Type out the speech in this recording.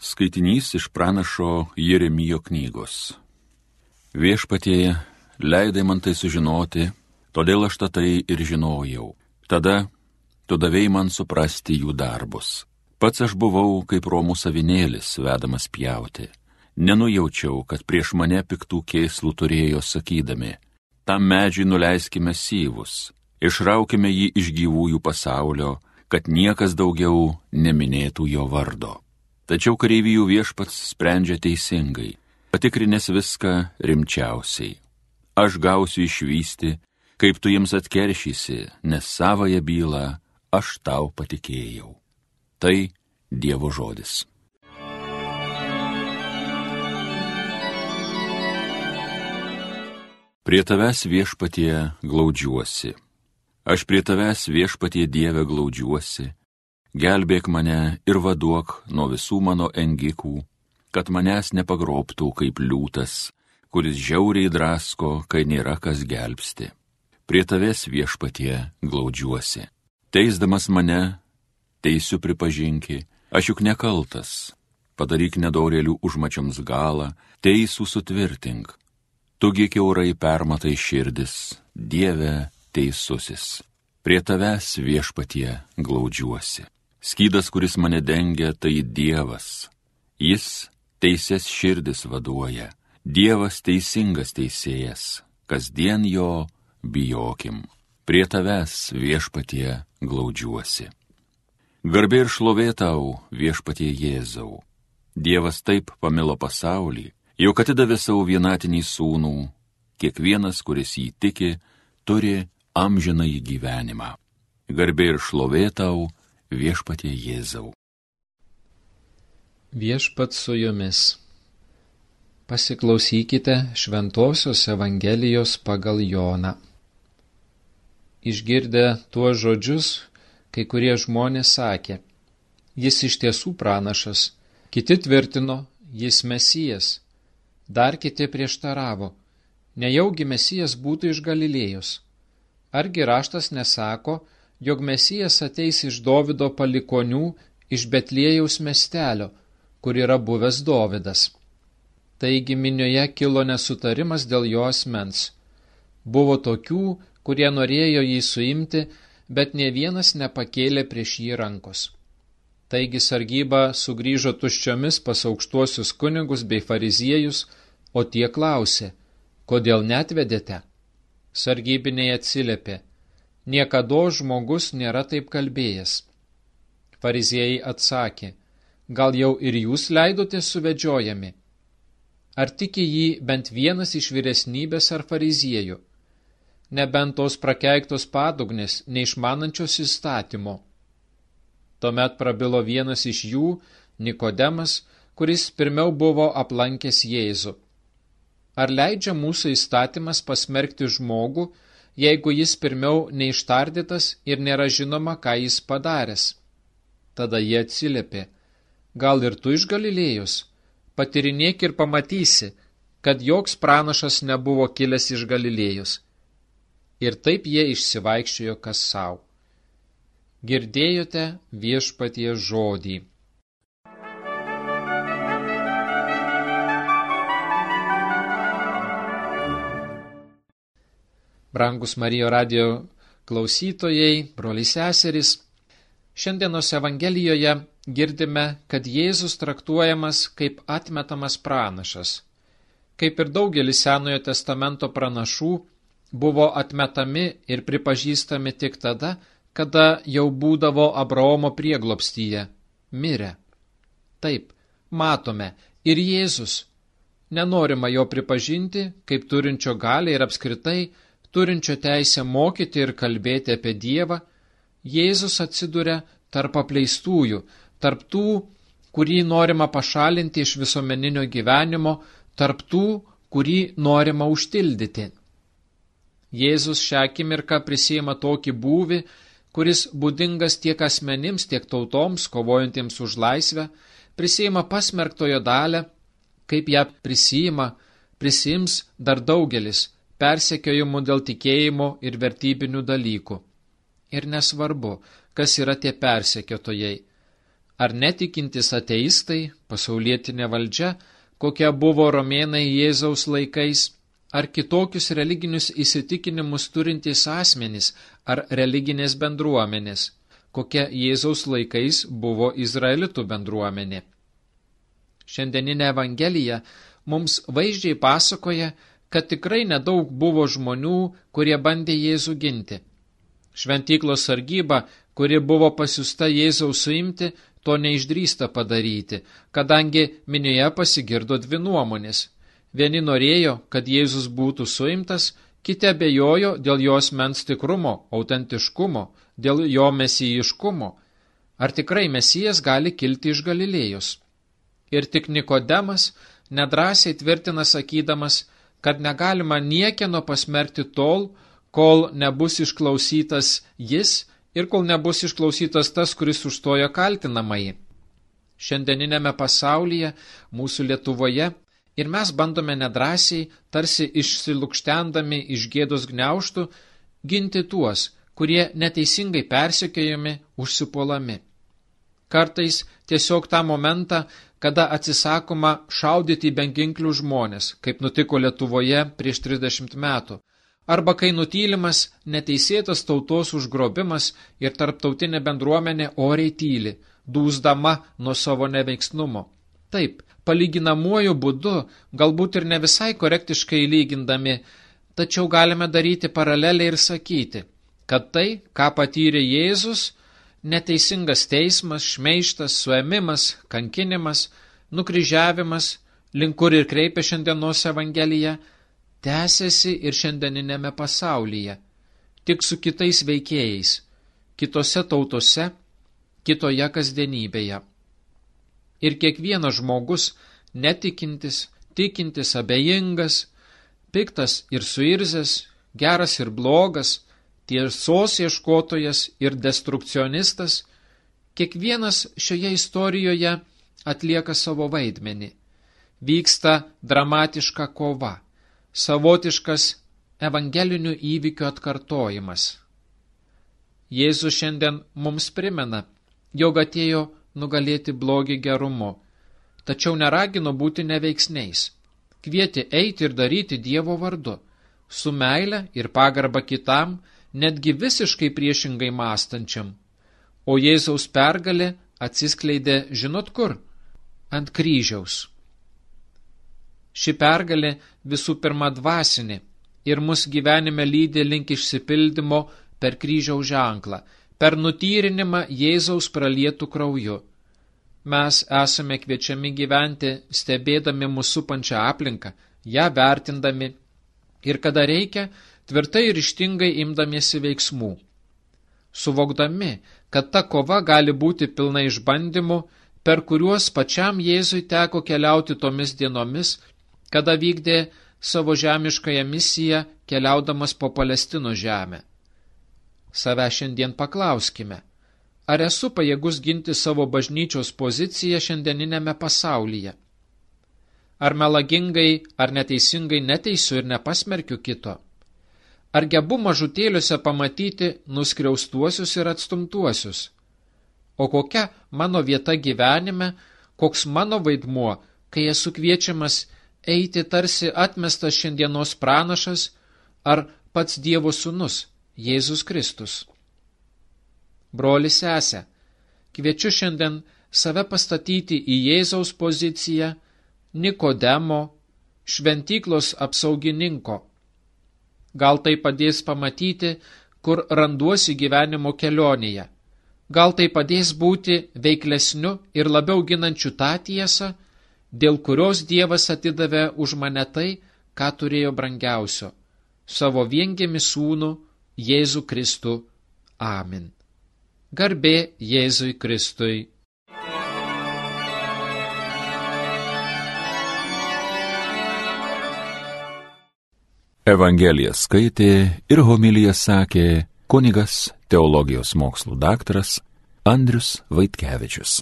Skaitinys iš pranašo Jeremijo knygos. Viešpatie, leidai man tai sužinoti, todėl aš tai ir žinojau. Tada tu davei man suprasti jų darbus. Pats aš buvau kaip romų avinėlis, vedamas pjauti. Nenujaučiau, kad prieš mane piktų kėslų turėjo sakydami: tam medžiui nuleiskime syvus, išraukime jį iš gyvųjų pasaulio, kad niekas daugiau neminėtų jo vardo. Tačiau kareivijų viešpats sprendžia teisingai, patikrinęs viską rimčiausiai. Aš gausiu išvysti, kaip tu jiems atkeršysi, nes savąją bylą aš tau patikėjau. Tai Dievo žodis. Prie tavęs viešpatie glaudžiuosi. Aš prie tavęs viešpatie Dieve glaudžiuosi. Gelbėk mane ir vaduok nuo visų mano engikų, kad manęs nepagrobtų kaip liūtas, kuris žiauriai drasko, kai nėra kas gelbsti. Prie tavęs viešpatie glaudžiuosi. Teisdamas mane, teisiu pripažinki, aš juk nekaltas. Padaryk nedorėlių užmačioms galą, teisų sutvirtink. Tugi kiaurai permatai širdis, Dieve teisusis. Prie tavęs viešpatie glaudžiuosi. Skydas, kuris mane dengia, tai Dievas. Jis teises širdis vaduoja. Dievas teisingas teisėjas. Kasdien jo bijokim. Prie tavęs viešpatie glaudžiuosi. Garbė ir šlovė tau, viešpatie Jėzau. Dievas taip pamilo pasaulį, jog atidavė savo vienatinį sūnų. Kiekvienas, kuris jį tiki, turi amžinąjį gyvenimą. Garbė ir šlovė tau, viešpatie Jėzau. Viešpats su jumis. Pasiklausykite Šventosios Evangelijos pagal Joną. Išgirdę tuos žodžius, kai kurie žmonės sakė: jis iš tiesų pranašas, kiti tvirtino, jis Mesijas, dar kiti prieštaravo: nejaugi Mesijas būtų iš Galilėjos. Argi raštas nesako, jog Mesijas ateis iš Dovido palikonių, iš Betliejaus miestelio, kur yra buvęs Dovidas. Taigi minioje kilo nesutarimas dėl jo asmens. Buvo tokių, kurie norėjo jį suimti, bet nė vienas nepakėlė prieš jį rankos. Taigi sargyba sugrįžo tuščiomis pas aukštuosius kunigus bei fariziejus, o tie klausė: kodėl neatvedėte? Sargybiniai atsiliepė: niekados žmogus nėra taip kalbėjęs. Fariziejai atsakė: gal jau ir jūs leidote suvedžiojami? Ar tiki jį bent vienas iš vyresnybės ar fariziejų? Nebent tos prakeiktos padugnės, neišmanančios įstatymo. Tuomet prabilo vienas iš jų, Nikodemas, kuris pirmiau buvo aplankęs Jėzų. Ar leidžia mūsų įstatymas pasmerkti žmogų, jeigu jis pirmiau neištardytas ir nėra žinoma, ką jis padaręs? Tada jie atsiliepė: gal ir tu iš Galilėjos? Patyrinėk ir pamatysi, kad joks pranašas nebuvo kilęs iš Galilėjos. Ir taip jie išsivaikščiojo kas sau. Girdėjote viešpaties žodį. Brangus Marijo radijo klausytojai, broliai seserys, šiandienos Evangelijoje girdime, kad Jėzus traktuojamas kaip atmetamas pranašas. Kaip ir daugelis Senojo testamento pranašų, buvo atmetami ir pripažįstami tik tada, kada jau būdavo Abraomo prieglobstyje, mirę. Taip, matome, ir Jėzus. Nenorima jo pripažinti kaip turinčio galią ir apskritai turinčio teisę mokyti ir kalbėti apie Dievą. Jėzus atsiduria tarp apleistųjų, tarp tų, kurį norima pašalinti iš visuomeninio gyvenimo, tarp tų, kurį norima užtildyti. Jėzus šią akimirką prisiima tokį būvį, kuris būdingas tiek asmenims, tiek tautoms, kovojantiems už laisvę, prisiima pasmerktojo dalę, kaip ją prisiims dar daugelis, persekiojimų dėl tikėjimo ir vertybinių dalykų. Ir nesvarbu, kas yra tie persekiotojai. ar netikintis ateistai, pasaulietinė valdžia, kokia buvo romėnai Jėzaus laikais, ar kitokius religinius įsitikinimus turintys asmenys ar religinės bendruomenės, kokia Jėzaus laikais buvo izraelitų bendruomenė. Šiandieninė Evangelija mums vaizdžiai pasakoja, kad tikrai nedaug buvo žmonių, kurie bandė Jėzų ginti. Šventyklos sargyba, kuri buvo pasiųsta Jėzaus suimti, to neišdrįsta padaryti, kadangi minioje pasigirdo dvi nuomonės. Vieni norėjo, kad Jėzus būtų suimtas, kiti abejojo dėl jo asmens tikrumo, autentiškumo, dėl jo mesijiškumo. Ar tikrai Mesijas gali kilti iš Galilėjos? Ir tik Nikodemas nedrąsiai tvirtina sakydamas, kad negalima niekieno pasmerkti tol, kol nebus išklausytas jis ir kol nebus išklausytas tas, kuris užstojo kaltinamąjį. Šiandieninėme pasaulyje, mūsų Lietuvoje, ir mes bandome nedrąsiai, tarsi išsilukštendami iš gėdos gniaužtų, ginti tuos, kurie neteisingai persekiojami, užsipuolami. Kartais tiesiog tą momentą, kada atsisakoma šaudyti į beginklių žmonės, kaip nutiko Lietuvoje prieš 30 metų, arba kai nutylimas neteisėtas tautos užgrobimas ir tarptautinė bendruomenė oriai tyli, dūsdama nuo savo neveiksnumo. Taip, palyginamuoju būdu, galbūt ir ne visai korektiškai lygindami, tačiau galime daryti paralelę ir sakyti, kad tai, ką patyrė Jėzus, neteisingas teismas, šmeižtas, suėmimas, kankinimas, nukryžiavimas, link kur ir kreipia šiandienos Evangelija, tęsiasi ir šiandieninėme pasaulyje, tik su kitais veikėjais, kitose tautose, kitoje kasdienybėje. Ir kiekvienas žmogus, netikintis, tikintis, abejingas, piktas ir suirzęs, geras ir blogas, tiesos ieškotojas ir destrukcionistas, kiekvienas šioje istorijoje atlieka savo vaidmenį. Vyksta dramatiška kova, savotiškas evangelinių įvykių atkartojimas. Jėzus šiandien mums primena, jog atėjo nugalėti blogį gerumu, tačiau neragino būti neveiksniais, kvietė eiti ir daryti Dievo vardu, su meile ir pagarba kitam, netgi visiškai priešingai mąstančiam. O Jėzaus pergalė atsiskleidė žinot kur? Ant kryžiaus. Ši pergalė visų pirma dvasinė ir mus gyvenime lydi link išsipildymo per kryžiaus ženklą, per nutyrinimą Jėzaus pralietų krauju. Mes esame kviečiami gyventi, stebėdami mūsų supančią aplinką, ją vertindami ir kada reikia, tvirtai ir ryžtingai imdamiesi veiksmų. Suvokdami, kad ta kova gali būti pilna išbandymų, per kuriuos pačiam Jėzui teko keliauti tomis dienomis, kada vykdė savo žemiškąją misiją keliaudamas po Palestinos žemę. Save šiandien paklauskime, ar esu pajėgus ginti savo bažnyčios poziciją šiandieninėme pasaulyje? Ar melagingai, ar neteisingai neteisiu ir nepasmerkiu kito? Ar gebu mažutėliuose pamatyti nuskriaustuosius ir atstumtuosius? O kokia mano vieta gyvenime, koks mano vaidmuo, kai esu kviečiamas eiti tarsi atmestas šiandienos pranašas ar pats Dievo sūnus, Jėzus Kristus? Broli sese, kviečiu šiandien save pastatyti į Jėzaus poziciją, Nikodemo, šventyklos apsaugininko. Gal tai padės pamatyti, kur randuosi gyvenimo kelionėje. Gal tai padės būti veiklesniu ir labiau ginančiu tą tiesą, dėl kurios Dievas atidavė už mane tai, ką turėjo brangiausio – savo viengimį sūnų Jėzų Kristų. Amen. Garbė Jėzui Kristui. Evangeliją skaitė ir homiliją sakė kunigas teologijos mokslų daktaras Andrius Vaitkevičius.